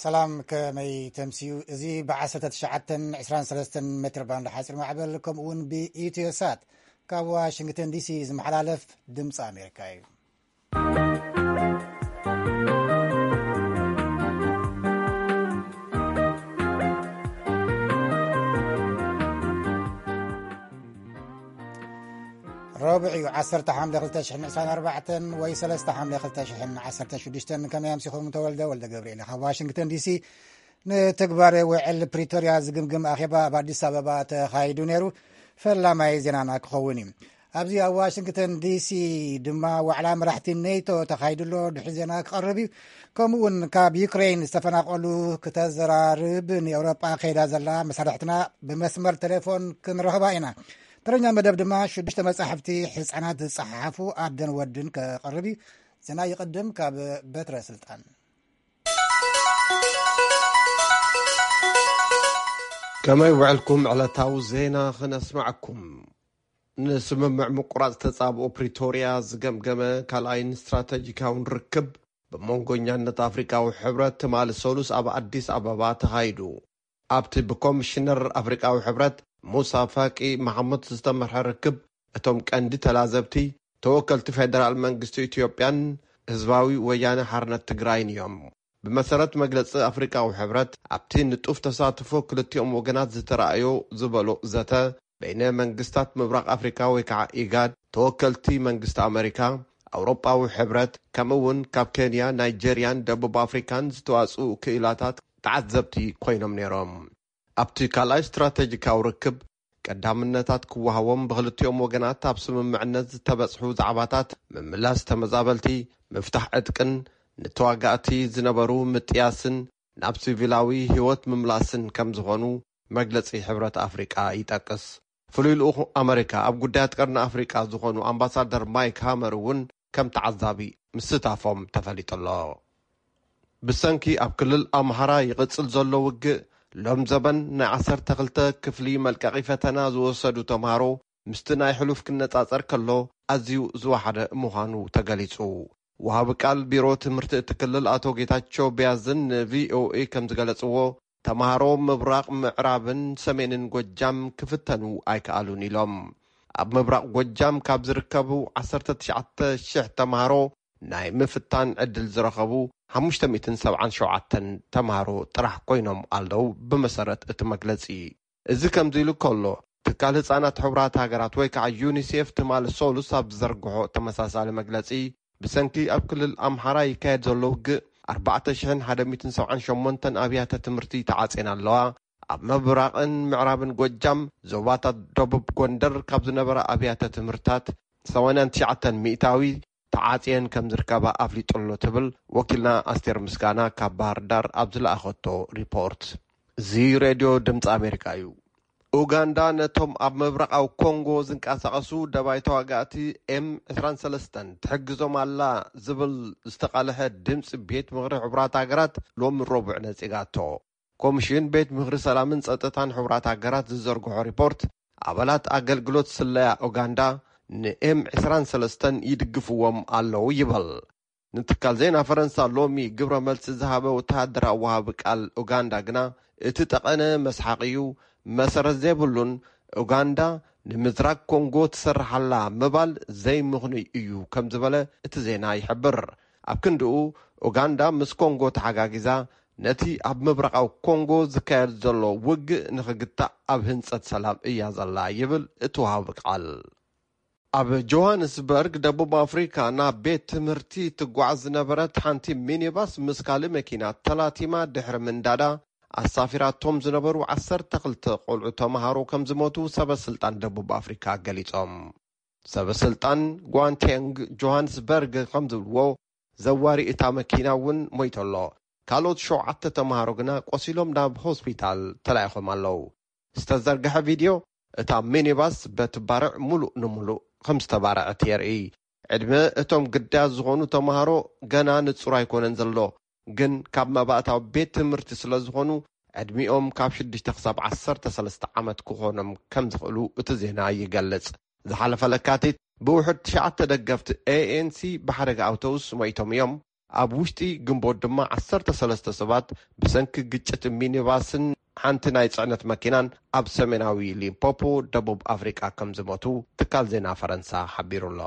ሰላም፣ ከመይ ተምስዩ? እዚ ብ19 23 ሜትር ባንድ ሓፂር ማዕበል፣ ከምኡ እውን ብኢትዮሳት ካብ ዋሽንግተን ዲሲ ዝመሓላለፍ ድምፂ ኣሜሪካ እዩ። ረቡዕ እዩ፣ 10 ሓምለ 2024 ወይ 3 ሓምለ 2016። ከመይ ኣምሲኹም? ተወልደ ወልደ ገብርኤል ካብ ዋሽንግተን ዲሲ። ንትግባረ ውዕል ፕሪቶርያ ዝግምግም ኣኼባ ኣብ ኣዲስ ኣበባ ተኻይዱ ነይሩ። ፈላማይ ዜናና ክኸውን እዩ። ኣብዚ ኣብ ዋሽንግተን ዲሲ ድማ ዋዕላ መራሕቲ ኔቶ ተኻይዱ ኣሎ። ድሕሪ ዜና ክቐርብ እዩ። ከምኡ እውን ካብ ዩክሬን ዝተፈናቐሉ ክተዘራርብ ንኤውሮጳ ከይዳ ዘላ መሳርሕትና ብመስመር ቴሌፎን ክንረኽባ ኢና። ተረኛ መደብ ድማ ሽዱሽተ መጻሕፍቲ ህጻናት ዝጸሓፉ ኣደን ወድን ክቐርብ እዩ። ዜና ይቕድም ካብ በትረ ስልጣን። ከመይ ውዕልኩም? ዕለታዊ ዜና ክነስማዕኩም። ንስምምዕ ምቁራጽ ተጻብኦ ፕሪቶርያ ዝገምገመ ካልኣይን ስትራተጂካውን ርክብ ብመንጎኛነት ኣፍሪካዊ ሕብረት ትማሊ ሰሉስ ኣብ ኣዲስ ኣበባ ተኻይዱ። ኣብቲ ብኮሚሽነር ኣፍሪካዊ ሕብረት ሙሳ ፋቂ መሓሙድ ዝተመርሐ ርክብ፣ እቶም ቀንዲ ተላዘብቲ ተወከልቲ ፌደራል መንግስቲ ኢትዮጵያን ህዝባዊ ወያነ ሓርነት ትግራይን እዮም። ብመሰረት መግለጺ ኣፍሪካዊ ሕብረት፣ ኣብቲ ንጡፍ ተሳትፎ ክልቲኦም ወገናት ዝተረኣዮ ዝበሎ ዘተ፣ በይነ መንግስታት ምብራቕ ኣፍሪካ ወይ ከዓ ኢጋድ፣ ተወከልቲ መንግስቲ ኣመሪካ፣ ኣውሮጳዊ ሕብረት፣ ከምኡ እውን ካብ ኬንያ፣ ናይጀርያን ደቡብ ኣፍሪካን ዝተዋፅኡ ክኢላታት ተዓዘብቲ ኮይኖም ነይሮም። ኣብቲ ካልኣይ ስትራቴጂካዊ ርክብ፣ ቀዳምነታት ክወሃቦም፣ ብክልቲኦም ወገናት ኣብ ስምምዕነት ዝተበጽሑ ዛዕባታት፣ ምምላስ ተመዛበልቲ፣ ምፍታሕ ዕጥቅን ንተዋጋእቲ ዝነበሩ ምጥያስን ናብ ሲቪላዊ ህይወት ምምላስን ከም ዝኾኑ መግለጺ ሕብረት ኣፍሪቃ ይጠቅስ። ፍሉይ ልኡኽ ኣመሪካ ኣብ ጉዳያት ቀርኒ ኣፍሪቃ ዝኾኑ ኣምባሳደር ማይክ ሃመር እውን ከም ተዓዛቢ ምስታፎም ተፈሊጡ ኣሎ። ብሰንኪ ኣብ ክልል ኣምሃራ ይቕጽል ዘሎ ውግእ፣ ሎም ዘበን ናይ 12 ክፍሊ መልቀቒ ፈተና ዝወሰዱ ተምሃሮ ምስቲ ናይ ሕሉፍ ክነጻጸር ከሎ ኣዝዩ ዝወሓደ ምዃኑ ተገሊጹ። ወሃቢ ቃል ቢሮ ትምህርቲ እቲ ክልል ኣቶ ጌታቸው ቢያዝን ንቪኦኤ ከም ዝገለጽዎ፣ ተምሃሮ ምብራቕ ምዕራብን ሰሜንን ጎጃም ክፍተኑ ኣይከኣሉን ኢሎም። ኣብ ምብራቕ ጎጃም ካብ ዝርከቡ 19,000 ተምሃሮ ናይ ምፍታን ዕድል ዝረኸቡ 577 ተምሃሮ ጥራሕ ኮይኖም ኣለዉ፣ ብመሰረት እቲ መግለጺ። እዚ ከምዚ ኢሉ ከሎ፣ ትካል ህጻናት ሕቡራት ሃገራት ወይ ከዓ ዩኒሴፍ ትማሊ ሰሉስ ኣብ ዝዘርግሖ ተመሳሳሊ መግለጺ፣ ብሰንኪ ኣብ ክልል ኣምሓራ ይካየድ ዘሎ ውግእ 4,078 ኣብያተ ትምህርቲ ተዓጽየን ኣለዋ። ኣብ ምብራቕን ምዕራብን ጎጃም፣ ዞባታት ደቡብ ጎንደር ካብ ዝነበራ ኣብያተ ትምህርታት 89% ተዓጽየን ከም ዝርከባ ኣፍሊጡ ኣሎ ትብል ወኪልና ኣስቴር ምስጋና ካብ ባህር ዳር ኣብ ዝለኣኸቶ ሪፖርት። እዚ ሬድዮ ድምፂ ኣሜሪካ እዩ። ኡጋንዳ ነቶም ኣብ ምብራቓዊ ኮንጎ ዝንቀሳቐሱ ደባይ ተዋጋእቲ ኤም 23 ትሕግዞም ኣላ ዝብል ዝተቓልሐ ድምፂ ቤት ምኽሪ ሕቡራት ሃገራት ሎሚ ረቡዕ ነፂጋቶ። ኮሚሽን ቤት ምኽሪ ሰላምን ጸጥታን ሕቡራት ሃገራት ዝዘርግሖ ሪፖርት፣ ኣባላት ኣገልግሎት ስለያ ኡጋንዳ ንኤም 23 ይድግፍዎም ኣለዉ ይበል። ንትካል ዜና ፈረንሳ ሎሚ ግብረ መልሲ ዝሃበ ወተሃደራዊ ወሃቢ ቃል ኡጋንዳ ግና፣ እቲ ጠቐነ መስሓቕ እዩ፣ መሰረት ዘይብሉን ኡጋንዳ ንምዝራግ ኮንጎ ትሰርሓላ ምባል ዘይምኽኑይ እዩ ከም ዝበለ እቲ ዜና ይሕብር። ኣብ ክንድኡ፣ ኡጋንዳ ምስ ኮንጎ ተሓጋጊዛ ነቲ ኣብ ምብራቓዊ ኮንጎ ዝካየድ ዘሎ ውግእ ንኽግታእ ኣብ ህንጸት ሰላም እያ ዘላ ይብል እቲ ወሃቢ ቃል። ኣብ ጆሃንስበርግ ደቡብ ኣፍሪካ ናብ ቤት ትምህርቲ ትጓዓዝ ዝነበረት ሓንቲ ሚኒባስ ምስ ካልእ መኪና ተላቲማ ድሕሪ ምንዳዳ፣ ኣሳፊራቶም ዝነበሩ 12 ቆልዑ ተምሃሮ ከም ዝሞቱ ሰበ ስልጣን ደቡብ ኣፍሪካ ገሊጾም። ሰበ ስልጣን ጓንቴንግ ጆሃንስበርግ ከም ዝብልዎ፣ ዘዋሪ እታ መኪና እውን ሞይቱ ኣሎ። ካልኦት ሸውዓተ ተምሃሮ ግና ቆሲሎም ናብ ሆስፒታል ተላኢኾም ኣለዉ። ዝተዘርግሐ ቪድዮ፣ እታ ሚኒባስ በቲ ባርዕ ሙሉእ ንሙሉእ ከም ዝተባረዐት የርኢ። ዕድመ እቶም ግዳያት ዝኾኑ ተምሃሮ ገና ንጹር ኣይኮነን ዘሎ፣ ግን ካብ መባእታዊ ቤት ትምህርቲ ስለ ዝኾኑ፣ ዕድሚኦም ካብ 6 ክሳብ 13 ዓመት ክኾኖም ከም ዝኽእሉ እቲ ዜና ይገልጽ። ዝሓለፈ ለካቲት፣ ብውሕድ ትሽዓተ ደገፍቲ ኤ ኤን ሲ ብሓደጋ ኣውቶቡስ ሞይቶም እዮም። ኣብ ውሽጢ ግንቦት ድማ ዓሰርተ ሰለስተ ሰባት ብሰንኪ ግጭት ሚኒባስን ሓንቲ ናይ ጽዕነት መኪናን ኣብ ሰሜናዊ ሊምፖፖ፣ ደቡብ ኣፍሪቃ ከም ዝሞቱ ትካል ዜና ፈረንሳ ሓቢሩ ኣሎ።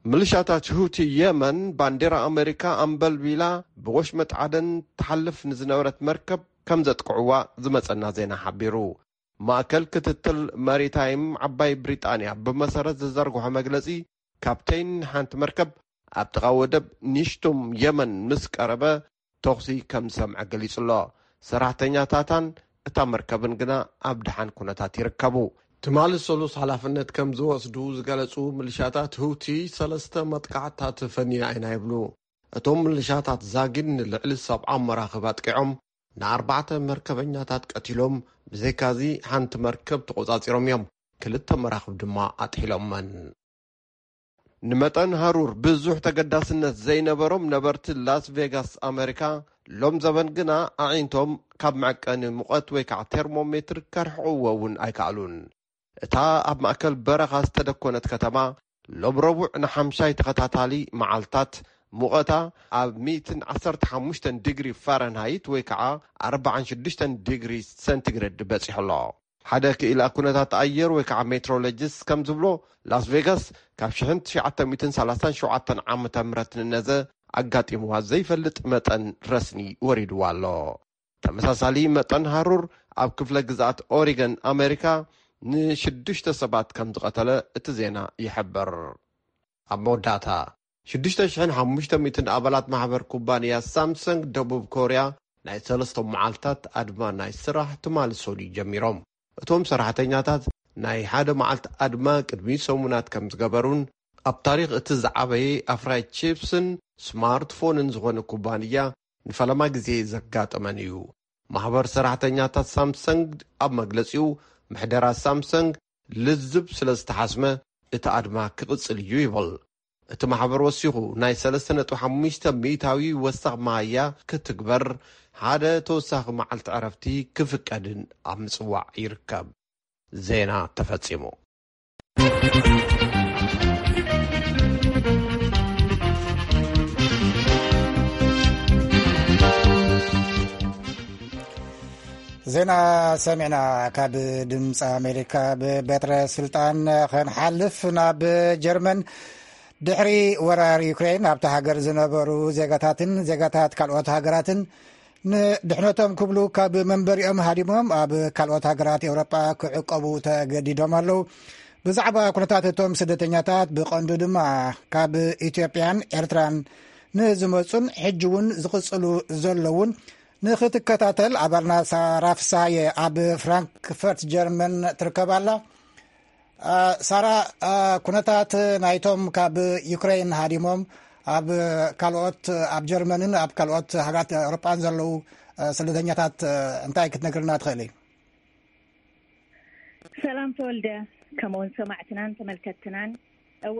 ምልሻታት ሁቲ የመን ባንዴራ ኣመሪካ ኣንበልቢላ ብወሽመጥ ዓደን ትሓልፍ ንዝነበረት መርከብ ከም ዘጥቅዕዋ ዝመጸና ዜና ሓቢሩ። ማእከል ክትትል ማሪታይም ዓባይ ብሪጣንያ ብመሰረት ዝዘርግሖ መግለጺ፣ ካፕቴን ሓንቲ መርከብ ኣብ ጥቓ ወደብ ኒሽቱም የመን ምስ ቀረበ ተኹሲ ከም ዝሰምዐ ገሊጹ ኣሎ። ሰራሕተኛታታን እታ መርከብን ግና ኣብ ደሓን ኩነታት ይርከቡ። ትማሊ ሰሉስ ሓላፍነት ከም ዝወስዱ ዝገለጹ ምልሻታት ሁቲ ሰለስተ መጥቃዕትታት ፈንያ ኢና ይብሉ። እቶም ምልሻታት ዛጊድ ንልዕሊ ሰብዓ መራኽብ ኣጥቂዖም ንኣርባዕተ መርከበኛታት ቀቲሎም፣ ብዘይካዚ ሓንቲ መርከብ ተቖጻጺሮም እዮም። ክልተ መራኽብ ድማ ኣጥሒሎመን። ንመጠን ሃሩር ብዙሕ ተገዳስነት ዘይነበሮም ነበርቲ ላስ ቬጋስ ኣመሪካ፣ ሎም ዘበን ግና ኣዒንቶም ካብ መዐቀኒ ሙቐት ወይ ከዓ ቴርሞሜትር ከርሕቕዎ እውን ኣይከኣሉን። እታ ኣብ ማእከል በረኻ ዝተደኮነት ከተማ፣ ሎም ረቡዕ ንሓምሻይ ተኸታታሊ መዓልታት ሙቐታ ኣብ ሚእትን ዓሰርተ ሓሙሽተን ዲግሪ ፋረንሃይት ወይ ከዓ ኣርባዓን ሽዱሽተን ዲግሪ ሰንቲግሬድ በጺሑ ኣሎ። ሓደ ክኢላ ኩነታት ኣየር ወይ ከዓ ሜትሮሎጂስት ከም ዝብሎ፣ ላስ ቬጋስ ካብ ሽሕን ትሽዓተ ሚእትን ሰላሳን ሸውዓተን ዓመተ ምህረት ንነዘ ኣጋጢምዋ ዘይፈልጥ መጠን ረስኒ ወሪድዋ ኣሎ። ተመሳሳሊ መጠን ሃሩር ኣብ ክፍለ ግዝኣት ኦሪገን ኣሜሪካ ንሽዱሽተ ሰባት ከም ዝቐተለ እቲ ዜና ይሕብር። ኣብ መወዳእታ፣ ሽዱሽተ ሽሕን ሓሙሽተ ሚእትን ኣባላት ማሕበር ኩባንያ ሳምሰንግ ደቡብ ኮርያ ናይ ሰለስተ መዓልታት ኣድማ ናይ ስራሕ ትማሊ ሰሉይ ጀሚሮም። እቶም ሰራሕተኛታት ናይ ሓደ መዓልቲ ኣድማ ቅድሚ ሰሙናት ከም ዝገበሩን፣ ኣብ ታሪኽ እቲ ዝዓበየ ኣፍራይ ቺፕስን ስማርትፎንን ዝኾነ ኩባንያ ንፈለማ ግዜ ዘጋጠመን እዩ። ማሕበር ሰራሕተኛታት ሳምሰንግ ኣብ መግለጺኡ፣ ምሕደራ ሳምሰንግ ልዝብ ስለ ዝተሓስመ፣ እቲ ኣድማ ክቕጽል እዩ ይብል። እቲ ማሕበር ወሲኹ፣ ናይ ሰለስተ ነጥቢ ሓሙሽተ ሚእታዊ ወሰኽ መሃያ ክትግበር፣ ሓደ ተወሳኺ መዓልቲ ዕረፍቲ ክፍቀድን ኣብ ምጽዋዕ ይርከብ። ዜና ተፈጺሙ። ዜና ሰሚዕና። ካብ ድምፂ ኣሜሪካ። ብበትረ ስልጣን ክንሓልፍ ናብ ጀርመን። ድሕሪ ወራር ዩክሬን ኣብታ ሃገር ዝነበሩ ዜጋታትን ዜጋታት ካልኦት ሃገራትን ንድሕነቶም ክብሉ ካብ መንበሪኦም ሃዲሞም ኣብ ካልኦት ሃገራት ኤውሮጳ ክዕቀቡ ተገዲዶም ኣለዉ። ብዛዕባ ኩነታት እቶም ስደተኛታት፣ ብቐንዱ ድማ ካብ ኢትዮጵያን ኤርትራን ንዝመጹን ሕጂ እውን ዝቕጽሉ ዘለውን ንኽትከታተል ኣባልና ሳራ ፍሳየ ኣብ ፍራንክፈርት ጀርመን ትርከብ ኣላ። አ፣ ሳራ፣ አ፣ ኩነታት ናይቶም ካብ ዩክሬን ሃዲሞም ኣብ ካልኦት፣ ኣብ ጀርመንን ኣብ ካልኦት ሃገራት ኤውሮጳን ዘለዉ፣ አ፣ ስደተኛታት፣ አ፣ እንታይ ክትነግርና ትኽእሊ? ሰላም ተወልደ፣ ከምኡውን ሰማዕትናን ተመልከትትናን። እወ፣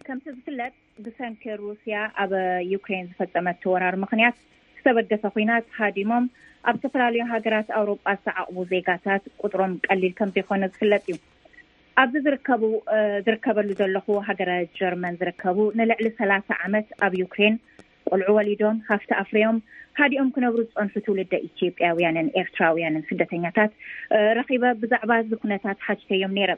ከምቲ ዝፍለጥ፣ ብሰንኪ ሩስያ ኣብ ዩክሬን ዝፈጸመቶ ወራር ምኽንያት ዝተበገሰ ኲናት ሃዲሞም ኣብ ዝተፈላለዩ ሃገራት ኣውሮጳ ዝተዓቕቡ ዜጋታት ቁጽሮም ቀሊል ከም ዘይኮነ ዝፍለጥ እዩ። ኣብዚ ዝርከቡ፣ እ፣ ዝርከበሉ ዘለኹ ሃገረ ጀርመን ዝርከቡ ንልዕሊ ሰላሳ ዓመት ኣብ ዩክሬን ቆልዑ ወሊዶም፣ ሃፍቲ ኣፍርዮም፣ ሃዲኦም ክነብሩ ዝጸንሑ ትውልደ ኢትዮጵያውያንን ኤርትራውያንን ስደተኛታት፣ እ፣ ረኺበ ብዛዕባ እዚ ኩነታት ሓቲተዮም ነይረ።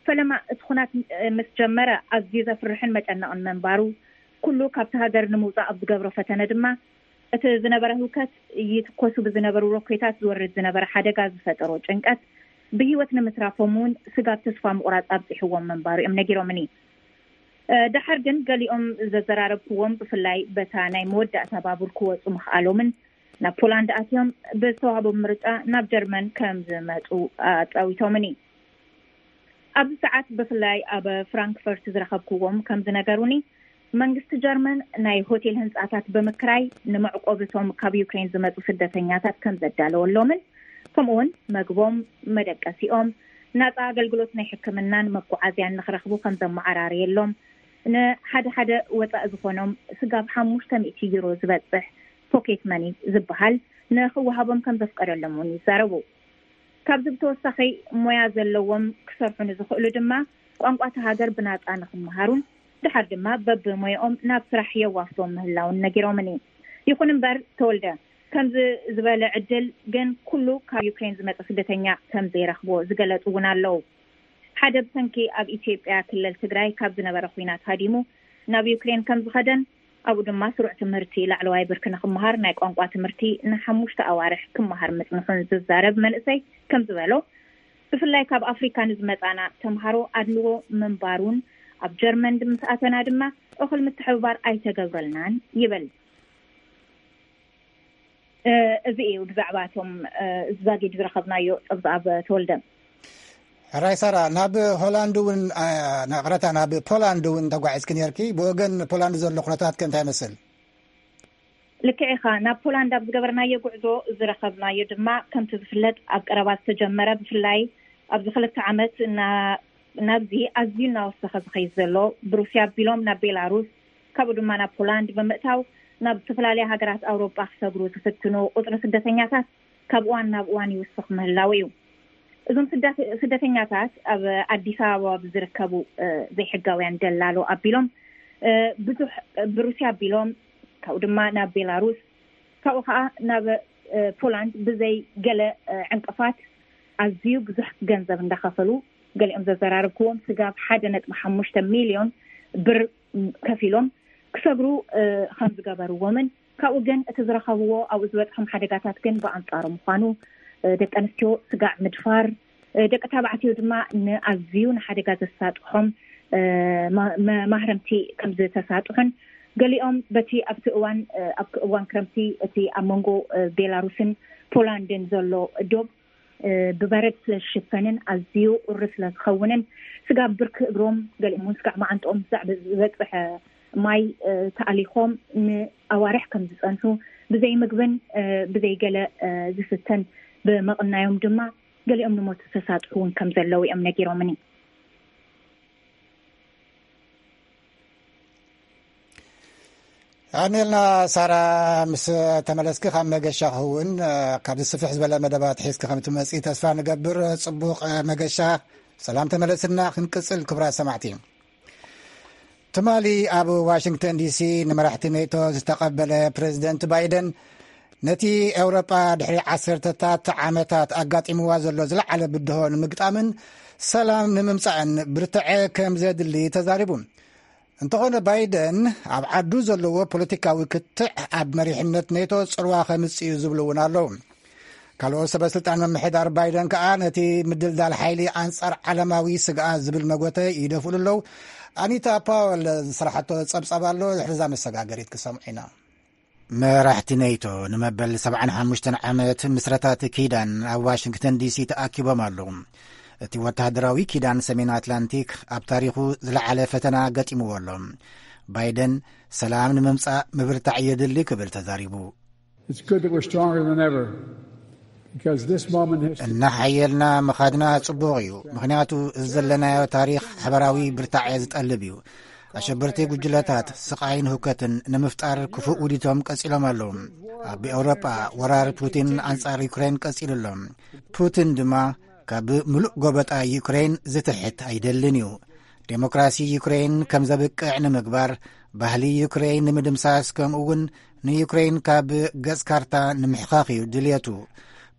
ፈለማ እቲ ኩናት፣ እ፣ ምስ ጀመረ ኣዝዩ ዘፍርሕን መጨነቕን ምንባሩ፣ ኩሉ ካብቲ ሃገር ንምውጻእ ኣብ ዝገብሮ ፈተነ ድማ፣ እቲ ዝነበረ ህውከት፣ ይትኮሱ ብዝነበሩ ሮኬታት ዝወርድ ዝነበረ ሓደጋ ዝፈጠሮ ጭንቀት፣ ብህይወት ንምትራፎም እውን ስጋብ ተስፋ ምቑራጽ ኣብጺሕዎም ምንባሩ እዮም ነጊሮምኒ። እ፣ ደሓር ግን ገሊኦም ዘዘራረብክዎም፣ ብፍላይ በታ ናይ መወዳእታ ባቡር ክወጹ ምኽኣሎምን ናብ ፖላንድ ኣትዮም ብዝተዋህቦም ምርጫ ናብ ጀርመን ከም ዝመጹ ኣጻዊቶምኒ። ኣብዚ ሰዓት ብፍላይ ኣብ ፍራንክፈርት ዝረኸብክዎም ከም ዝነገሩኒ፣ መንግስቲ ጀርመን ናይ ሆቴል ህንጻታት ብምክራይ ንመዕቆቢ እቶም ካብ ዩክሬን ዝመጹ ስደተኛታት ከም ዘዳለወሎምን፣ ከምኡውን መግቦም፣ መደቀሲኦም፣ ናጻ ኣገልግሎት ናይ ሕክምናን መጓዓዝያን ንኽረኽቡ ከም ዘመዓራረየሎም፣ ንሓደ ሓደ ወጻኢ ዝኾኖም ስጋብ ሓሙሽተ ሚእቲ ዩሮ ዝበጽሕ ፖኬት መኒ ዝበሃል ንኽወሃቦም ከም ዘፍቀደሎም እውን ይዛረቡ። ካብዚ ብተወሳኺ፣ ሞያ ዘለዎም ክሰርሑ ንዝኽእሉ ድማ ቋንቋ እታ ሃገር ብናጻ ንኽመሃሩን ድሓር ድማ በብሞያኦም ናብ ስራሕ የዋፍሮም ምህላውን ነጊሮምኒ። ይኹን እምበር ተወልደ፣ ከምዚ ዝበለ ዕድል ግን ኩሉ ካብ ዩክሬን ዝመጸ ስደተኛ ከም ዘይረኽቦ ዝገለጹ እውን ኣለዉ። ሓደ ብሰንኪ ኣብ ኢትዮጵያ ክልል ትግራይ ካብ ዝነበረ ኲናት ሃዲሙ ናብ ዩክሬን ከም ዝኸደን ኣብኡ ድማ ስሩዕ ትምህርቲ ላዕለዋይ ብርኪ ንኽመሃር ናይ ቋንቋ ትምህርቲ ንሓሙሽተ ኣዋርሕ ክመሃር ምጽንሑን ዝዛረብ መንእሰይ ከም ዝበሎ፣ ብፍላይ ካብ ኣፍሪካ ንዝመጻና ተምሃሮ ኣድልዎ ምንባሩን ኣብ ጀርመን ምስ ኣተና ድማ እኹል ምትሕብባር ኣይተገብረልናን ይብል። እዚ እዩ ብዛዕባ እቶም ዛጊድ ዝረኸብናዮ። ጸብጻብ ተወልደ። ሕራይ ሳራ፣ ናብ ሆላንድ እውን፣ ይቕረታ፣ ናብ ፖላንድ እውን ተጓዒዝኪ ነርኪ። ብወገን ፖላንድ ዘሎ ኩነታት ከ እንታይ ይመስል? ልክዕ ኢኻ። ናብ ፖላንድ ኣብ ዝገበርናዮ ጉዕዞ ዝረኸብናዮ ድማ፣ ከምቲ ዝፍለጥ፣ ኣብ ቀረባ ዝተጀመረ፣ ብፍላይ ኣብዚ ክልተ ዓመት ናብዚ ኣዝዩ እናወሰኸ ዝኸይድ ዘሎ፣ ብሩስያ ኣቢሎም ናብ ቤላሩስ፣ ካብኡ ድማ ናብ ፖላንድ ብምእታው ናብ ዝተፈላለያ ሃገራት ኣውሮጳ ክሰግሩ ዝፍትኑ ቁጽሪ ስደተኛታት ካብ እዋን ናብ እዋን ይውስኽ ምህላው እዩ። እዞም ስደተኛታት ኣብ ኣዲስ ኣበባ ብዝርከቡ ዘይሕጋውያን ደላሎ ኣቢሎም ብዙሕ፣ ብሩስያ ኣቢሎም፣ ካብኡ ድማ ናብ ቤላሩስ፣ ካብኡ ከዓ ናብ ፖላንድ ብዘይ ገለ ዕንቅፋት ኣዝዩ ብዙሕ ገንዘብ እንዳኸፈሉ፣ ገሊኦም ዘዘራረብክዎም ስጋብ ሓደ ነጥቢ ሓሙሽተ ሚልዮን ብር ከፊሎም ክሰግሩ ከም ዝገበርዎምን፣ ካብኡ ግን እቲ ዝረኸብዎ ኣብኡ ዝበፅሖም ሓደጋታት ግን ብኣንፃሩ ምዃኑ፣ ደቂ ኣንስትዮ ስጋዕ ምድፋር፣ ደቂ ተባዕትዮ ድማ ንኣዝዩ ንሓደጋ ዘሳጥሖም ማህረምቲ ከም ዝተሳጥሑን፣ ገሊኦም በቲ ኣብቲ እዋን ኣብ እዋን ክረምቲ እቲ ኣብ መንጎ ቤላሩስን ፖላንድን ዘሎ ዶብ ብበረድ ስለ ዝሽፈንን ኣዝዩ ቁሪ ስለ ዝኸውንን፣ ስጋብ ብርኪ እግሮም፣ ገሊኦም እውን ስጋዕ መዓንጥኦም ብዛዕባ ዝበፅሐ ማይ ተኣሊኾም ንኣዋርሕ ከም ዝፀንሑ፣ ብዘይ ምግብን ብዘይ ገለ ዝስተን ብምቕናዮም ድማ ገሊኦም ንሞት ዝተሳጥሑ እውን ከም ዘለዉ እዮም ነጊሮምኒ። ኣሜልና ሳራ፣ ምስ ተመለስኪ ካብ መገሻ ክኸውን፣ ካብዚ ስፍሕ ዝበለ መደባት ሒዝኪ ከም ትመጺ ተስፋ ንገብር። ጽቡቕ መገሻ። ሰላም ተመለስና። ክንቅጽል ክቡራት ሰማዕቲ። ትማሊ ኣብ ዋሽንግተን ዲሲ ንመራሕቲ ኔቶ ዝተቐበለ ፕሬዚደንት ባይደን፣ ነቲ ኤውሮጳ ድሕሪ ዓሰርተታት ዓመታት ኣጋጢምዋ ዘሎ ዝለዓለ ብድሆ ንምግጣምን ሰላም ንምምጻእን ብርትዐ ከም ዘድሊ ተዛሪቡ። እንተኾነ ባይደን ኣብ ዓዱ ዘለዎ ፖለቲካዊ ክትዕ ኣብ መሪሕነት ኔቶ ጽልዋ ከምጽእ እዩ ዝብሉ እውን ኣለዉ። ካልኦት ሰበ ስልጣን ምምሕዳር ባይደን ከኣ ነቲ ምድልዳል ሓይሊ ኣንጻር ዓለማዊ ስግኣት ዝብል መጎተ ይደፍእሉ ኣለዉ። ኣኒታ ፓወል ዝሰራሓቶ ጸብጻብ ኣሎ፣ ድሕሪ እዛ መሰጋገሪት ክሰምዑ ኢና። መራሕቲ ኔቶ ንመበል ሰብዓን ሓሙሽተን ዓመት ምስረታት ኪዳን ኣብ ዋሽንግተን ዲሲ ተኣኪቦም ኣለዉ። እቲ ወተሃደራዊ ኪዳን ሰሜን ኣትላንቲክ ኣብ ታሪኹ ዝለዓለ ፈተና ገጢምዎ ኣሎ። ባይደን ሰላም ንምምጻእ ምብርታዕ የድሊ ክብል ተዛሪቡ። It's good that we're stronger than ever, because this moment has እናሓየልና ምኻድና ጽቡቕ እዩ፣ ምኽንያቱ እዚ ዘለናዮ ታሪኽ ሓበራዊ ብርታዐ ዝጠልብ እዩ። ኣሸበርቲ ጉጅለታት ስቓይን ህውከትን ንምፍጣር ክፉእ ውዲቶም ቀጺሎም ኣለዉ። ኣብ ኤውሮጳ ወራር ፑቲን ኣንጻር ዩክሬን ቀጺሉ ኣሎ። ፑቲን ድማ ካብ ምሉእ ጎበጣ ዩክሬን ዝትሕት ኣይደልን እዩ። ዴሞክራሲ ዩክሬን ከም ዘብቅዕ ንምግባር፣ ባህሊ ዩክሬን ንምድምሳስ፣ ከምኡ እውን ንዩክሬን ካብ ገጽ ካርታ ንምሕኻኽ እዩ ድልየቱ።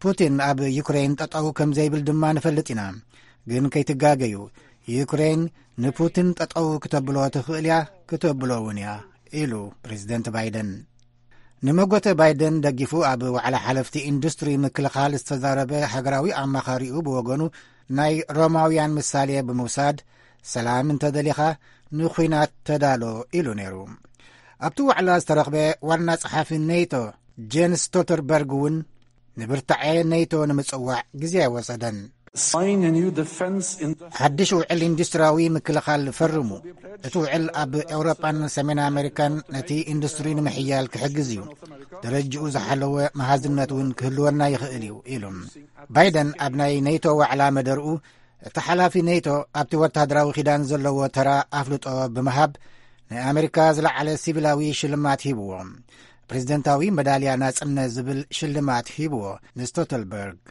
ፑቲን ኣብ ዩክሬን ጠጠው ከም ዘይብል ድማ ንፈልጥ ኢና። ግን ከይትጋገዩ፣ ዩክሬን ንፑቲን ጠጠው ክተብሎ ትኽእል እያ፣ ክተብሎ እውን እያ፣ ኢሉ ፕሬዚደንት ባይደን። ንመጎተ ባይደን ደጊፉ ኣብ ዋዕላ ሓለፍቲ ኢንዱስትሪ ምክልኻል ዝተዛረበ ሃገራዊ ኣማኻሪኡ ብወገኑ፣ ናይ ሮማውያን ምሳሌ ብምውሳድ፣ ሰላም እንተደሊኻ ንኹናት ተዳሎ ኢሉ ነይሩ። ኣብቲ ዋዕላ ዝተረኽበ ዋና ጸሓፊ ኔቶ ጄንስ ስቶልተንበርግ እውን ንብርታዐ ኔቶ ንምጽዋዕ ግዜ ኣይወሰደን። Sign a new defense industry ሓድሽ ውዕል ኢንዱስትሪያዊ ምክልኻል ፈርሙ። እቲ ውዕል ኣብ ኤውሮጳን ሰሜን ኣሜሪካን ነቲ ኢንዱስትሪ ንምሕያል ክሕግዝ እዩ። ደረጅኡ ዝሓለወ መሃዝነት እውን ክህልወና ይኽእል እዩ፣ ኢሉ። ባይደን ኣብ ናይ ኔቶ ዋዕላ መደርኡ፣ እቲ ሓላፊ ኔቶ ኣብቲ ወተሃደራዊ ኪዳን ዘለዎ ተራ ኣፍልጦ ብምሃብ፣ ናይ ኣሜሪካ ዝለዓለ ሲቪላዊ ሽልማት ሂብዎ። ፕሬዚደንታዊ መዳልያ ናጽነት ዝብል ሽልማት ሂብዎ ንስቶተልበርግ።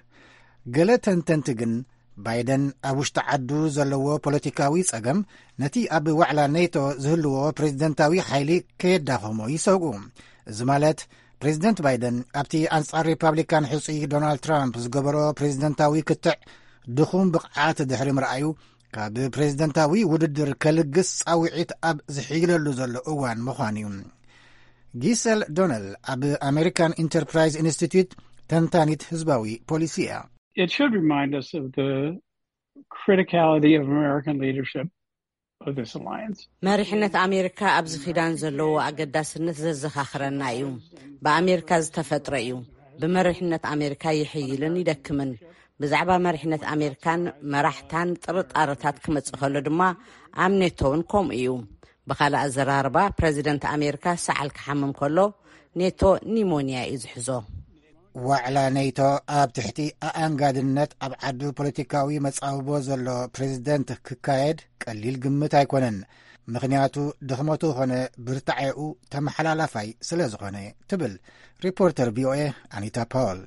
ገለ ተንተንቲ ግን፣ ባይደን ኣብ ውሽጢ ዓዱ ዘለዎ ፖለቲካዊ ጸገም ነቲ ኣብ ዋዕላ ኔቶ ዝህልዎ ፕሬዝደንታዊ ሓይሊ ከየዳኸሞ ይሰግኡ። እዚ ማለት ፕሬዝደንት ባይደን ኣብቲ ኣንጻር ሪፓብሊካን ሕጹይ ዶናልድ ትራምፕ ዝገበሮ ፕሬዝደንታዊ ክትዕ ድኹም ብቕዓት ድሕሪ ምርኣዩ ካብ ፕሬዝደንታዊ ውድድር ከልግስ ጻውዒት ኣብ ዝሕይለሉ ዘሎ እዋን ምዃኑ እዩ። ጊሰል ዶነል ኣብ ኣሜሪካን ኢንተርፕራይዝ ኢንስቲትዩት ተንታኒት ህዝባዊ ፖሊሲ እያ። It should remind us of the criticality of American leadership of this alliance. መሪሕነት ኣሜሪካ ኣብዚ ኪዳን ዘለዎ ኣገዳስነት ዘዘኻኽረና እዩ። ብኣሜሪካ ዝተፈጥረ እዩ። ብመሪሕነት ኣሜሪካ ይሕይልን ይደክምን። ብዛዕባ መሪሕነት ኣሜሪካን መራሕታን ጥርጣረታት ክመጽእ ከሎ ድማ ኣብ ኔቶ እውን ከምኡ እዩ። ብኻልእ ኣዘራርባ ፕረዚደንት ኣሜሪካ ሰዓል ክሓምም ከሎ ኔቶ ኒሞንያ እዩ ዝሕዞ። ዋዕላ ኔቶ ኣብ ትሕቲ ኣኣንጋድነት ኣብ ዓዱ ፖለቲካዊ መጻብቦ ዘሎ ፕሬዝደንት ክካየድ ቀሊል ግምት ኣይኮነን። ምኽንያቱ ድኽመቱ ኾነ ብርታዔኡ ተመሓላላፋይ ስለ ዝኾነ ትብል ሪፖርተር ቪኦኤ ኣኒታ ፓውል።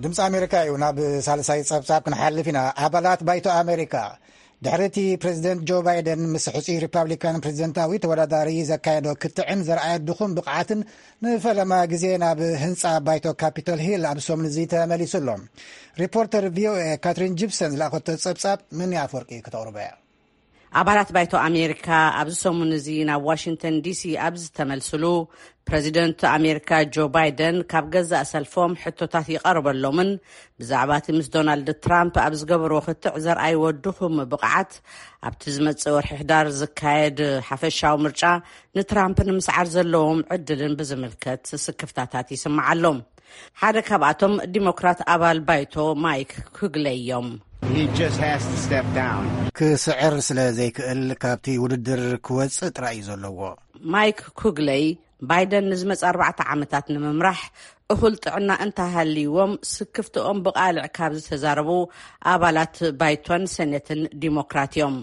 ድምፂ ኣሜሪካ እዩ። ናብ ሳልሳይ ፀብፃብ ክንሓልፍ ኢና። ኣባላት ባይቶ ኣሜሪካ ድሕሪ እቲ ፕሬዚደንት ጆ ባይደን ምስ ሕፁይ ሪፓብሊካን ፕሬዚደንታዊ ተወዳዳሪ ዘካየዶ ክትዕን ዘርኣየ ድኹም ብቕዓትን ንፈለማ ግዜ ናብ ህንፃ ባይቶ ካፒቶል ሂል ኣብ ሰሙን እዚ ተመሊሱ ኣሎ። ሪፖርተር ቪኦኤ ካትሪን ጂፕሰን ዝለኣኸቶ ፀብፃብ ምን ኣፈወርቂ ክተቕርቦ እያ። ኣባላት ባይቶ ኣሜሪካ ኣብዚ ሰሙን እዚ ናብ ዋሽንግተን ዲሲ ኣብ ዝተመልስሉ፣ ፕረዚደንት ኣሜሪካ ጆ ባይደን ካብ ገዛእ ሰልፎም ሕቶታት ይቐርበሎምን ብዛዕባ እቲ ምስ ዶናልድ ትራምፕ ኣብ ዝገበርዎ ክትዕ ዘርኣይዎ ድኹም ብቕዓት ኣብቲ ዝመጽእ ወርሒ ሕዳር ዝካየድ ሓፈሻዊ ምርጫ ንትራምፕ ንምስዓር ዘለዎም ዕድልን ብዝምልከት ስክፍታታት ይስምዓሎም። ሓደ ካብኣቶም ዲሞክራት ኣባል ባይቶ ማይክ ኩግለይ እዮም። He just has to step down. ክስዕር ስለ ዘይክእል ካብቲ ውድድር ክወጽእ ጥራይ እዩ ዘለዎ። ማይክ ኩግለይ ባይደን ንዝመጽእ ኣርባዕተ ዓመታት ንምምራሕ እኹል ጥዕና እንተሃልይዎም ስክፍትኦም ብቓልዕ ካብ ዝተዛረቡ ኣባላት ባይቶን ሰኔትን ዲሞክራት እዮም።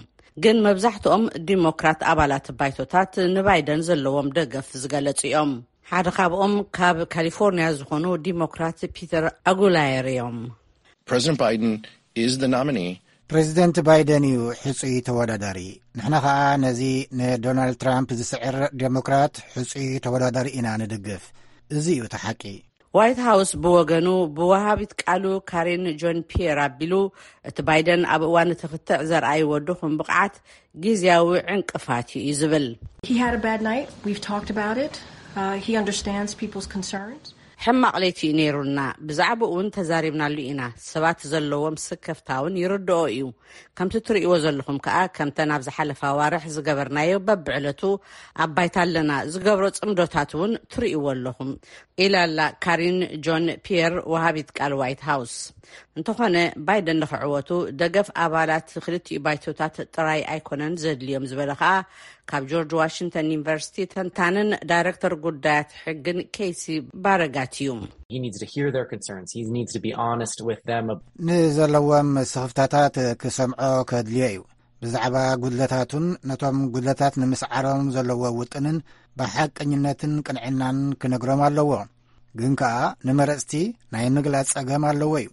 ግን መብዛሕትኦም ዲሞክራት ኣባላት ባይቶታት ንባይደን ዘለዎም ደገፍ ዝገለጹ እዮም። ሓደ ካብኦም ካብ ካሊፎርኒያ ዝኾኑ ዲሞክራት ፒተር ኣጉላየር እዮም። President Biden is the nominee. ፕሬዚደንት ባይደን እዩ ሕፁይ ተወዳዳሪ። ንሕና ኸኣ ነዚ ንዶናልድ ትራምፕ ዝስዕር ዴሞክራት ሕፁይ ተወዳዳሪ ኢና ንድግፍ። እዚ እዩ እቲ ሓቂ። ዋይት ሃውስ ብወገኑ ብወሃቢት ቃሉ ካሪን ጆን ፒየር ኣቢሉ እቲ ባይደን ኣብ እዋን እቲ ክትዕ ዘርኣይዎ ድኹም ብቕዓት ግዝያዊ ዕንቅፋት እዩ ዝብል። He had a bad night. We've talked about it. Uh, he understands people's concerns. ሕማቕ ለይቲ እዩ ነይሩና። ብዛዕባኡ እውን ተዛሪብናሉ ኢና። ሰባት ዘለዎም ስከፍታ እውን ይርድኦ እዩ። ከምቲ ትርእይዎ ዘለኹም ከኣ፣ ከምተን ኣብ ዝሓለፋ ኣዋርሕ ዝገበርናዮ በብዕለቱ ኣብ ባይታ ኣለና። ዝገብሮ ጽምዶታት እውን ትርእይዎ ኣለኹም፣ ኢላ ኣላ ካሪን ጆን ፒየር፣ ወሃቢት ቃል ዋይት ሃውስ። እንተኾነ፣ ባይደን ንኽዕወቱ ደገፍ ኣባላት ክልቲኡ ባይቶታት ጥራይ ኣይኮነን ዘድልዮም ዝበለ ከኣ፣ ካብ ጆርጅ ዋሽንግተን ዩኒቨርሲቲ ተንታንን ዳይሬክተር ጉዳያት ሕግን ኬሲ ባረጋት እዩ። He needs to hear their concerns. He needs to be honest with them. ንዘለዎም ስኽፍታታት ክሰምዖ ከድልዮ እዩ። ብዛዕባ ጉድለታቱን ነቶም ጉድለታት ንምስዓሮም ዘለዎ ውጥንን ብሓቀኝነትን ቅንዕናን ክነግሮም ኣለዎ። ግን ከኣ ንመረጽቲ ናይ ምግላጽ ጸገም ኣለዎ እዩ።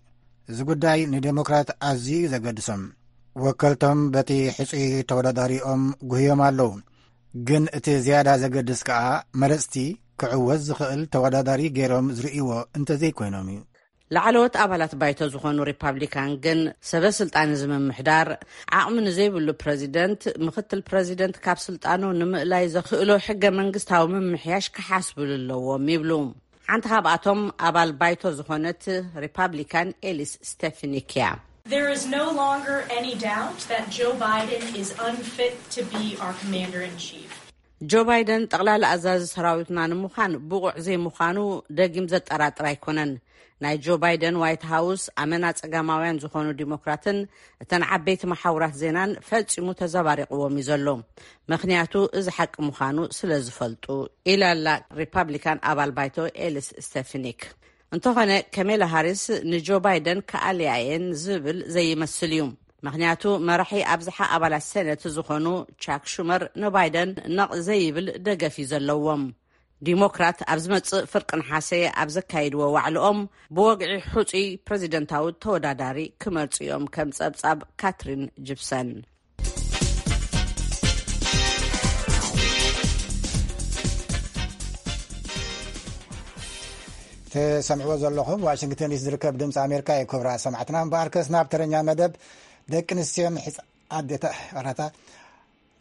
እዚ ጉዳይ ንዴሞክራት ኣዝዩ እዩ ዘገድሶም። ወከልቶም በቲ ሕጹይ ተወዳዳሪኦም ጉህዮም ኣለዉ። ግን እቲ ዝያዳ ዘገድስ ከኣ መረጽቲ ክዕወት ዝኽእል ተወዳዳሪ ገይሮም ዝርእይዎ እንተዘይኮይኖም እዩ። ላዕለዎት ኣባላት ባይቶ ዝኾኑ ሪፓብሊካን ግን ሰበ ስልጣን እዚ ምምሕዳር ዓቕሚ ንዘይብሉ ፕረዚደንት፣ ምኽትል ፕረዚደንት ካብ ስልጣኑ ንምእላይ ዘኽእሎ ሕገ መንግስታዊ ምምሕያሽ ክሓስብሉ ኣለዎም ይብሉ። ሓንቲ ካብኣቶም ኣባል ባይቶ ዝኾነት ሪፓብሊካን ኤሊስ ስቴፍኒክ እያ። There is no longer any doubt that Joe Biden is unfit to be our commander in chief. ጆ ባይደን ጠቕላላ ኣዛዚ ሰራዊትና ንምዃን ብቑዕ ዘይምዃኑ ደጊም ዘጠራጥር ኣይኮነን። ናይ ጆ ባይደን ዋይት ሃውስ ኣመና ጸጋማውያን ዝኾኑ ዲሞክራትን እተን ዓበይቲ መሓውራት ዜናን ፈጺሙ ተዘባሪቕዎም እዩ ዘሎ። ምኽንያቱ እዚ ሓቂ ምዃኑ ስለ ዝፈልጡ፣ ኢላ ኣላ ሪፓብሊካን ኣባል ባይቶ ኤሊስ ስቴፍኒክ። እንተኾነ፣ ከሜላ ሃሪስ ንጆ ባይደን ክኣልያ እየን ዝብል ዘይመስል እዩ። ምኽንያቱ መራሒ ኣብዝሓ ኣባላት ሰነት ዝኾኑ ቻክ ሹመር ንባይደን ነቕ ዘይብል ደገፍ እዩ ዘለዎም። ዲሞክራት ኣብ ዝመጽእ ፍርቂ ነሓሰ ኣብ ዘካይድዎ ዋዕልኦም ብወግዒ ሕጹይ ፕሬዚደንታዊ ተወዳዳሪ ክመርጹ እዮም፣ ከም ጸብጻብ ካትሪን ጂፕሰን። ትሰምዕዎ ዘለኹም ዋሽንግተን ዲሲ ዝርከብ ድምፂ ኣሜሪካ እዩ። ክቡራት ሰማዕትና፣ እምበኣርከስ ናብ ተረኛ መደብ ደቂ ኣንስትዮን ሕፃ-፣ ኣዴታ-፣ ኣራታ፣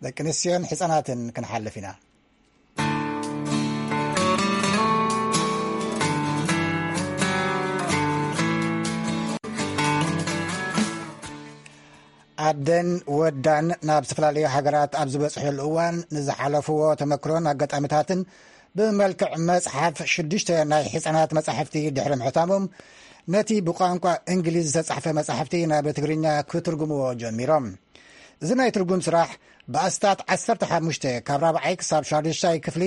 ደቂ ኣንስትዮን ሕፃናትን ክንሓልፍ ኢና። ኣደን ወዳን ናብ ዝተፈላለዩ ሃገራት ኣብ ዝበፅሐሉ እዋን ንዝሓለፍዎ ተመክሮን ኣጋጣሚታትን ብመልክዕ መፅሓፍ ሽዱሽተ ናይ ሕፃናት መፃሕፍቲ ድሕሪ ምሕታሞም፣ ነቲ ብቋንቋ እንግሊዝ ዝተፃሕፈ መፃሕፍቲ ናብ ትግርኛ ክትርጉምዎ ጀሚሮም። እዚ ናይ ትርጉም ስራሕ ብኣስታት ዓሰርተ ሓሙሽተ ካብ ራብዓይ ክሳብ ሻዱሻይ ክፍሊ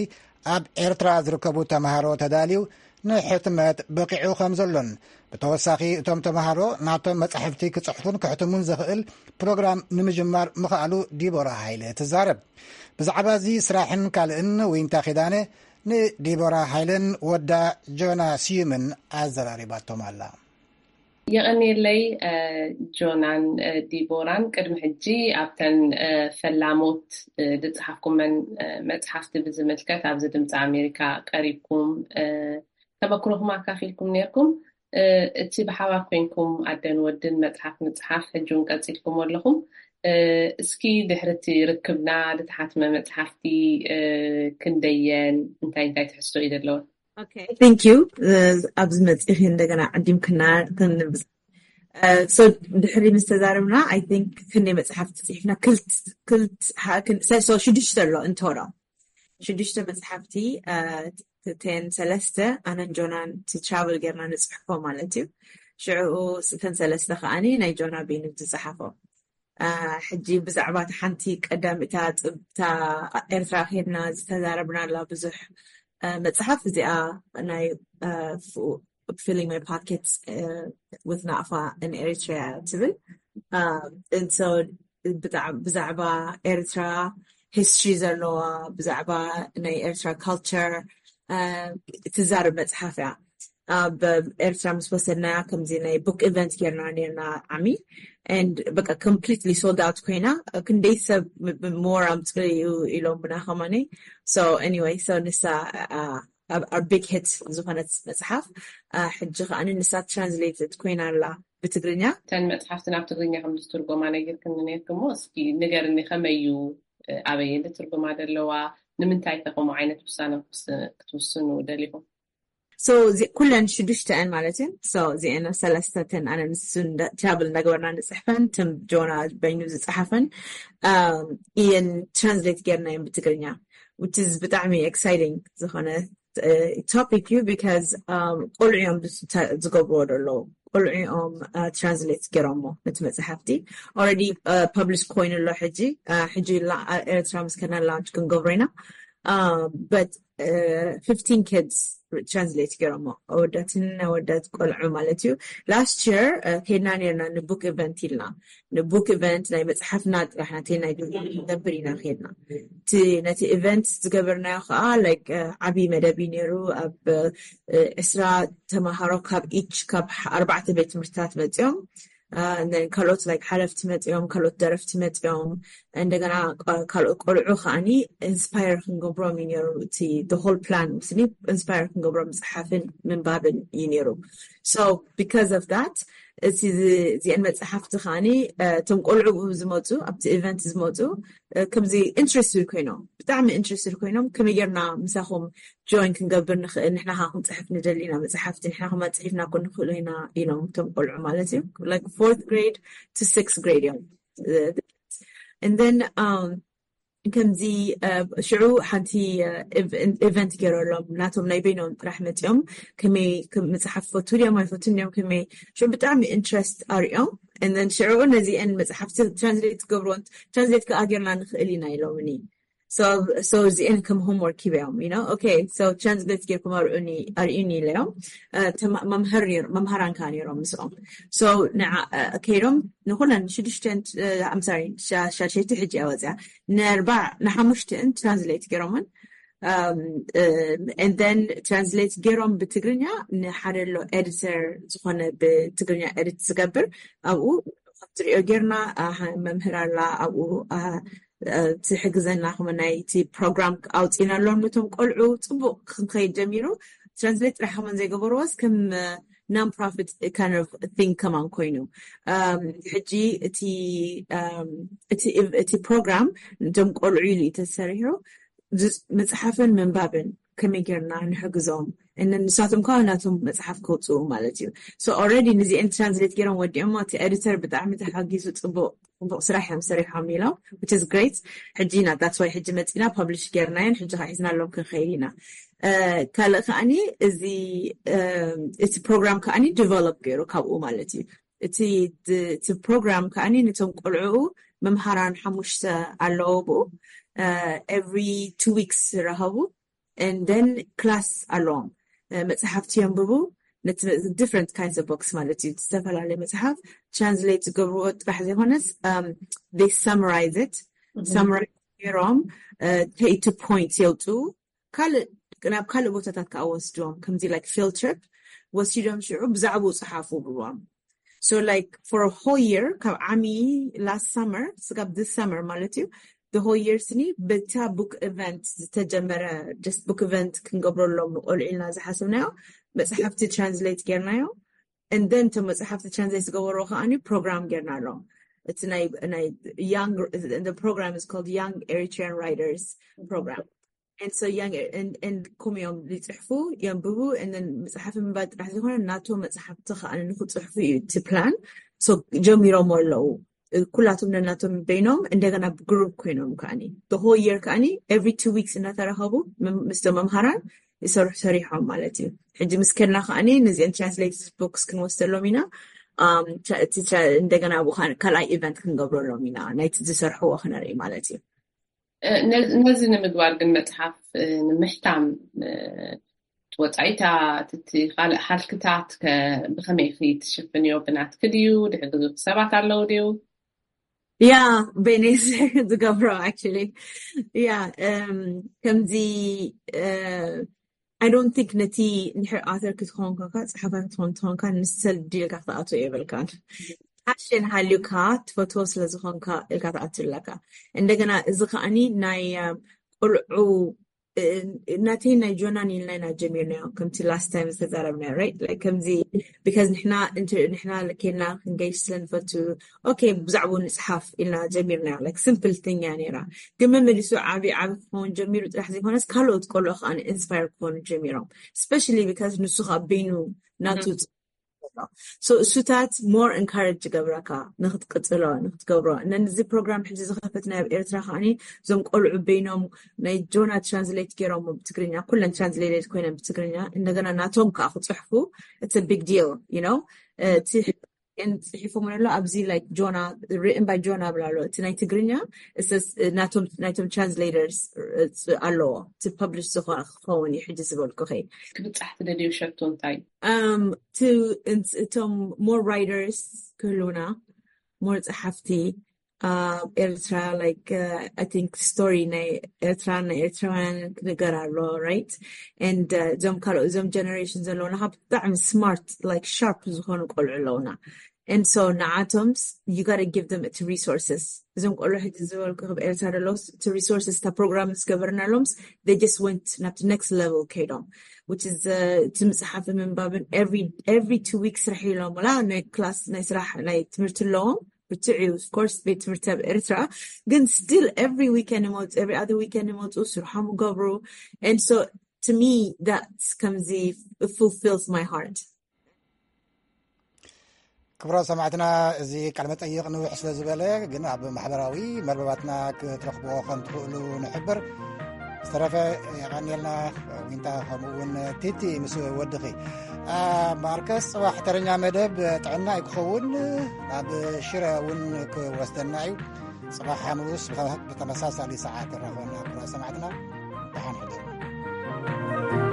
ኣብ ኤርትራ ዝርከቡ ተምሃሮ ተዳልዩ ንሕትመት በቂዑ ከም ዘሎን፣ ብተወሳኺ እቶም ተምሃሮ ናቶም መጻሕፍቲ ክጽሕፉን ክሕትሙን ዘኽእል ፕሮግራም ንምጅማር ምኽኣሉ ዲቦራ ሃይለ ትዛረብ። ብዛዕባ እዚ ስራሕን ካልእን ዊንታ ኪዳነ ንዲቦራ ሃይለን ወዳ ጆና ስዩምን ኣዘራሪባቶም ኣላ። የቐንየለይ፣ እ፣ ጆናን፣ እ፣ ዲቦራን። ቅድሚ ሕጂ ኣብተን፣ እ፣ ፈላሞት፣ እ፣ ዝጸሓፍኩመን፣ እ፣ መጽሓፍቲ ብዝምልከት ኣብዚ ድምፂ ኣሜሪካ ቀሪብኩም፣ እ፣ ተመክሮኹም ኣካፊልኩም ነይርኩም። እ፣ እቲ ብሓባር ኮይንኩም ኣደን ወድን መጽሓፍ ምጽሓፍ ሕጂ እውን ቀጺልኩሞ ኣለኹም። እ፣ እስኪ ድሕሪ እቲ ርክብና ዝተሓትመ መጽሓፍቲ፣ እ፣ ክንደየን እንታይ እንታይ ትሕዝቶ እዩ ዘለወን? Okay, thank you. እ፣ ኣብዚ መጺኺ እንደገና ዓዲምክና ክንብዝ-፣ እ፣ so ድሕሪ ምስ ተዛረብና፣ I think ክንደይ መጽሓፍቲ ጽሒፍና? ክልት-፣ ክልት-፣ ሃ-፣ ክን-፣ ሰ-፣ so ሽዱሽተ ኣሎ እንተሮ። ሽዱሽተ መጽሓፍቲ፣ እ፣ ት-፣ ቴን ሰለስተ ኣነን ጆናን እቲ ትራቨል ጌርና ንጽሕፎ ማለት እዩ። ሽዑ ስ-፣ እተን ሰለስተ ከኣኒ ናይ ጆና ቤኑ ዝጸሓፎ። እ፣ ሕጂ ብዛዕባ እታ ሓንቲ ቀዳም እታ ጽብ-፣ እታ ኤርትራ ኬድና ዝተዛረብናላ ብዙሕ፣ እ፣ መጽሓፍ እዚኣ ናይ፣ እ፣ ፉ-፣ Filling My Pockets፣ እ፣ with ናቕፋ in Eritrea ትብል። እ፣ and so ብጣዕ-፣ ብዛዕባ ኤርትራ ሂስትሪ ዘለዋ፣ ብዛዕባ ናይ ኤርትራ ካልቸር፣ እ፣ ትዛረብ መጽሓፍ እያ። ኣብ ኤርትራ ምስ ወሰድናያ ከምዚ ናይ ቡክ ኢቨንት ጌርና ኔርና ዓሚ፣ and በቃ ኮምፕሊትሊ ሶልድ ኣውት ኮይና፣ ክንደይ ሰብ ም-፣ ም-፣ ሞር ኣምጽኡ ኢሎምና ከማኒ። So anyway፣ so ንሳ፣ እ፣ ኣብ፣ ኣብ ቢግ ሂት ዝኾነት መጽሓፍ፣ እ፣ ሕጂ ከኣ ንሳ ትራንስሌትድ ኮይና ኣላ ብትግርኛ። እተን መጽሓፍቲ ናብ ትግርኛ ከም ዝትርጎማ ነጊርክኒ ነይርክሞ፣ እስኪ ንገርኒ፣ ከመይ እዩ፣ እ፣ ኣበይ ትርጉማ ዘለዋ፣ ንምንታይ ከ ከምኡ ዓይነት ውሳነ ክትውስ-፣ ክትውስኑ ደሊኹም? So፣ እዚ ኩለን ሽዱሽተን ማለት እዩ። So፣ እዚአን ሰለስተተን ኣነ ንሱ እንዳ-፣ ትራቭል እንዳገበርና ንጽሕፈን፣ ትም ጆና በይኑ ዝጸሓፈን፣ ኣም፣ እየን ትራንስሌት ጌርና እየን ብትግርኛ፣ which is ብጣዕሚ ኤክሳይቲንግ ዝኾነ፣ እ፣ ቶፒክ እዩ፣ ቢካዝ፣ ኣም፣ ቆልዑ እዮም ዝተ-፣ ዝገብርዎ ዘለዉ። ቆልዑ እዮም፣ እ፣ ትራንስሌት ጌሮሞ ነቲ መጽሓፍቲ። ኦልሬዲ፣ እ፣ ፐብሊሽ ኮይኑ ኣሎ ሕጂ። እ፣ ሕጂ ላ-፣ እ፣ ኤርትራ ምስ ከድና ላውንች ክንገብሮ ኢና። እ፣ በት፣ እ፣ ፊፍቲን ኪድስ ትራንስሌት ጌሮሞ። ኣወዳትን ኣወዳት ቆልዑ ማለት እዩ። ላስት የር፣ እ፣ ከድና ኔርና ንቡክ ኢቨንት ኢልና። ንቡክ ኢቨንት ናይ መጽሓፍና ጥራሕ ናተይ ናይ ጆና ክንገብር ኢና ከድና። እቲ ነቲ ኢቨንት ዝገበርናዮ ከኣ፣ ላይክ፣ እ፣ ዓቢ መደብ እዩ ነይሩ። ኣብ፣ እ፣ ዕስራ ተማሃሮ ካብ ኢች፣ ካብ ኣርባዕተ ቤት ትምህርትታት መጺኦም። እ፣ and then ካልኦት፣ ላይክ፣ ሓለፍቲ መጺኦም፣ ካልኦት ደረፍቲ መጺኦም፣ እንደገና፣ እ፣ ካልኦት ቆልዑ ከኣኒ ኢንስፓየር ክንገብሮም እዩ ነይሩ። እቲ the whole plan ስኒ ኢንስፓየር ክንገብሮም ምጽሓፍን ምንባብን እዩ ነይሩ። So because of that፣ እቲ ዚ-፣ እዚአን መጽሓፍቲ ከኣኒ፣ እ፣ እቶም ቆልዑ ዝመጹ፣ ኣብቲ ኢቨንት ዝመጹ፣ እ፣ ከምዚ ኢንትረስትድ ኮይኖም፣ ብጣዕሚ ኢንትረስትድ ኮይኖም፣ ከመይ ጌርና ምሳኹም ጆይን ክንገብር ንኽእል፣ ንሕና ኸዓ ክንጽሕፍ ንደሊ ኢና መጽሓፍቲ፣ ንሕና ኸማ ጽሒፍና እኮ ንኽእሎ ኢና ኢሎም፣ እቶም ቆልዑ ማለት እዩ። ላይክ ፎርት ግሬድ ቱ ሲክስ ግሬድ እዮም። And then፣ um፣ ከምዚ፣ እ፣ ሽዑ ሓንቲ፣ እ፣ ኢቨ-፣ ኢቨንት ገይረሎም፣ ናቶም ናይ በይኖም ጥራሕ መጺኦም፣ ከመይ ክም-፣ መጽሓፍ ፈቱ ድዮም ኣይፈቱን ድዮም፣ ከመይ፣ ሽዑ ብጣዕሚ ኢንትረስት ኣርእዮም። And then ሽዑ ነዚአን መጽሓፍቲ ትራንስሌት ክገብርዎን፣ ትራንስሌት ከኣ ጌርና ንኽእል ኢና ኢሎምኒ። So እዚአን ከም homework ሂበዮም you know okay so translate ጌርኩም ኣርእዩኒ ኣርእዩኒ ኢለዮም። መምህር መምህራን ከዓ ነይሮም ምስኦም። So ንዓ ከይዶም ንኩለን ሽዱሽተን I'm sorry ሻሸይቲ ሕጂ እያ ወፅያ። ንኣርባዕ ንሓሙሽተን translate ገይሮምን and then translate ገይሮም ብትግርኛ ንሓደ ኣሎ editor ዝኾነ ብትግርኛ edit ዝገብር ኣብኡ ትሪኦ ጌርና። መምህር ኣላ ኣብኡ ትሕግዘና ከመ ናይቲ ፕሮግራም ኣውፂና ኣለዎም ነቶም ቆልዑ ፅቡቅ ክንከይድ ጀሚሩ። Translate ጥራሕ ከመን ዘይገበርዎስ ከም non profit kind of thing ከማን ኮይኑ ሕጂ እቲ እቲ ፕሮግራም ነቶም ቆልዑ ኢሉ እዩ ተሰሪሑ። መፅሓፍን ምንባብን ከመይ ጌርና ንሕግዞም እነ ንሳቶም ከዓ ናቶም መፅሓፍ ከውፅኡ ማለት እዩ። So already ንዚአን translate ገይሮም ወዲኦሞ እቲ editor ብጣዕሚ ተሓጊዙ ፅቡቅ ፅቡቅ ስራሕ እዮም ሰሪሖም ኢሎም which is great። ሕጂ ኢና that's why ሕጂ መፂና publish ገይርናዮን ሕጂ ከዓ ሒዝናሎም ክንኸይድ ኢና። ካልእ ከዓኒ እዚ እቲ ፕሮግራም ከዓኒ develop ገይሩ ካብኡ ማለት እዩ። እቲ እቲ ፕሮግራም ከዓኒ ነቶም ቆልዑ መምሃራን ሓሙሽተ ኣለዎ ብኡ every two weeks ዝራኸቡ and then class ኣለዎም። መፅሓፍቲ የንብቡ ነቲ different kinds of books ማለት እዩ። ዝተፈላለዩ መፅሓፍ translate ዝገብርዎ ጥራሕ ዘይኮነስ they summarize it summarize ገይሮም ከይቱ point የውፅኡ ካልእ ናብ ካልእ ቦታታት ከዓ ወስድዎም ከምዚ like field trip ወሲዶም ሽዑ ብዛዕባኡ ፀሓፉ ብልዎም። So like for a whole year ካብ ዓሚ last summer ስጋብ this summer ማለት እዩ the whole year ስኒ በታ book event ዝተጀመረ just book event ክንገብረሎም ንቆልዑ ኢልና ዝሓስብናዮ መፅሓፍቲ translate ጌርናዮ and then እቶም መፅሓፍቲ translate ዝገበርዎ ከዓኒ ፕሮግራም ጌርና ኣለዎም። እቲ ናይ ናይ young the program is called Young Eritrean Writers Program and so young and and ከምኡ እዮም ዝፅሕፉ የንብቡ and then መፅሓፍ ምንባብ ጥራሕ ዘይኮነ ናቶም መፅሓፍቲ ከዓ ንክፅሕፉ እዩ እቲ plan። So ጀሚሮም ኣለዉ ኩላቶም ነናቶም በይኖም እንደገና ብ group ኮይኖም ከዓኒ the whole year ከዓኒ every two weeks እናተራኸቡ ምስቶም መምሃራን ይሰርሑ ሰሪሖም ማለት እዩ። ሕጂ ምስ ከድና ከዓኒ ነዚአን translate books ክንወስደሎም ኢና። እንደገና ካልኣይ event ክንገብረሎም ኢና ናይቲ ዝሰርሕዎ ክነርኢ ማለት እዩ። ነዚ ንምግባር ግን መፅሓፍ ንምሕታም ወፃኢታት እቲ ካልእ ሃልክታት ብከመይ ኢኺ ትሽፍንዮ? ብናትኪ ድዩ? ድሕግዙ ሰባት ኣለዉ ድዩ? ያ በይነይ ዝገብሮ actually ያ ከምዚ I don't think ነቲ እንድሕር author ክትኸውን ኮንካ ፀሓፋይ ክትኸውን ትኾንካ ንሰል ድልካ ክትኣትዎ የብልካን። Passion ሃልዩካ ትፈትዎ ስለዝኾንካ ኢልካ ትኣቱ ኣለካ። እንደገና እዚ ከዓኒ ናይ ቆልዑ ናተይ ናይ ጆናን ኢልና ኢና ጀሚርናዮ ከምቲ last time ዝተዛረብናዮ right like ከምዚ because ንሕና ንሕና ኬና ክንገይሽ ስለንፈቱ okay ብዛዕባኡ ንፅሓፍ ኢልና ጀሚርናዮ like simple thing እያ ነይራ። ግን መመሊሱ ዓብዪ ዓብዪ ክኸውን ጀሚሩ ጥራሕ ዘይኮነስ ካልኦት ቆልዑ ከዓ inspire ክኾኑ ጀሚሮም especially because ንሱ ከዓ በይኑ ናቱ so እሱታት more encourage ይገብረካ ንክትቅፅሎ ንክትገብሮ እነዚ ፕሮግራም ሕጂ ዝኸፈትና ኣብ ኤርትራ ከዓኒ እዞም ቆልዑ በይኖም ናይ ጆና translate ገይሮም ብትግርኛ ኩለን translate ኮይነን ብትግርኛ እንደገና ናቶም ከዓ ክፅሕፉ it's big deal you know እቲ ጽሒፎም ኣሎ ኣብዚ like ጆና written by ጆና ብላ ኣሎ እቲ ናይ ትግርኛ ናይቶም translators ኣለዎ እቲ publish ዝኾነ ክኸውን እዩ ሕጂ ዝበልኩ ከይ ክብፃሕ ትደልዩ ሸቶ እንታይ እቶም more writers ክህልውና more ፀሓፍቲ ኤርትራ like I think story ናይ ኤርትራ ናይ ኤርትራውያን ክንገር ኣሎ right and እዞም ካልኦ እዞም generation ዘለውና ካብ ብጣዕሚ smart like sharp ዝኾኑ ቆልዑ ኣለውና and so ንዓቶም you gotta give them እቲ resources እዞም ቆልዑ ሕጂ ዝበልኩ ክብ ኤርትራ ዘለውስ እቲ resources እታ ፕሮግራም ዝገበርናሎምስ they just went ናብ next level ከይዶም which is እቲ ምፅሓፍን ምንባብን every every two weeks ስራሕ ኢሎም ላ ናይ class ናይ ስራሕ ናይ ትምህርቲ ኣለዎም ብርትዕ እዩ of course ቤት ትምህርቲ ኣብ ኤርትራ ግን still every weekend ይመፁ every other weekend ይመፁ ስርሖም ይገብሩ and so to me that's ከምዚ fulfills my heart ክቡራት ሰማዕትና እዚ ቃለ መጠይቕ ንውሕ ስለ ዝበለ ግን ኣብ ማሕበራዊ መርበባትና ክትረኽብዎ ከም ትኽእሉ ንሕብር ዝተረፈ የቐንየልና ዊንታ ከምኡ እውን ቲቲ ምስ ወድኺ ማርከስ ፅባሕ ተረኛ መደብ ጥዕና እዩ ክኸውን ናብ ሽረ እውን ክወስደና እዩ ጽባሕ ሓሙስ ብኸ-፣ ብተመሳሳሊ ሰዓት ክራኸበና ክቡራት ሰማዕትና። ደሓን ሕደሩ።